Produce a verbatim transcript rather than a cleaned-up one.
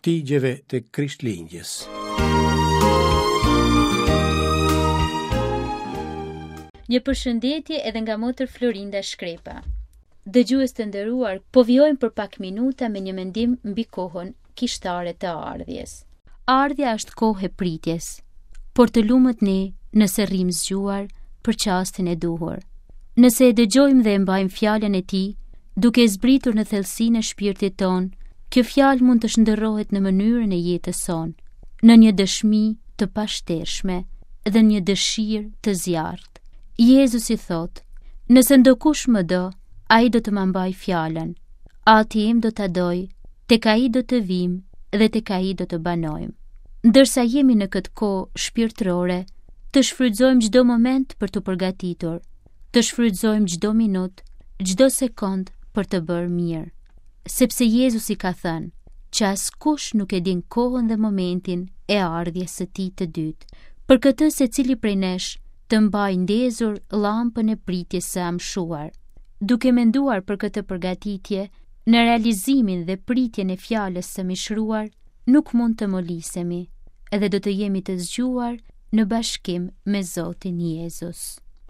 Ftigjeve të Krishtlindjes. Një përshëndetje edhe nga motër Florinda Shkrepa. Dëgjues të nderuar, po vijojmë për pak minuta me një mendim mbi kohën kishtare të ardhjes. Ardhja është kohë e pritjes, por të lumët ne nëse rrim zgjuar për çastin e duhur. Nëse e dëgjojmë dhe e mbajmë fjalën e tij, duke e zbritur në thellësinë e shpirtit tonë, kjo fjalë mund të shndërrohet në mënyrën e jetës sonë, në një dëshmi të pashtershme dhe një dëshirë të zjarrtë. Jezusi thotë, nëse ndokush më do, ai do të ma mbajë fjalën. Ati im do ta dojë, tek ai do të vim dhe tek ai do të banojmë. Ndërsa jemi në këtë kohë shpirtërore, të shfrytëzojmë çdo moment për t'u përgatitur, të shfrytëzojmë çdo minutë, çdo sekond për të bërë mirë. Sepse Jezusi ka thënë që askush nuk e din kohën dhe momentin e ardhjes së tij të dytë. Për këtë secili prej nesh të mbajë ndezur llampën e pritjes së amshuar. Duke menduar për këtë përgatitje, në realizimin dhe pritjen e fjalës së mishruar, nuk mund të molisemi, edhe do të jemi të zgjuar në bashkim me Zotin Jezus.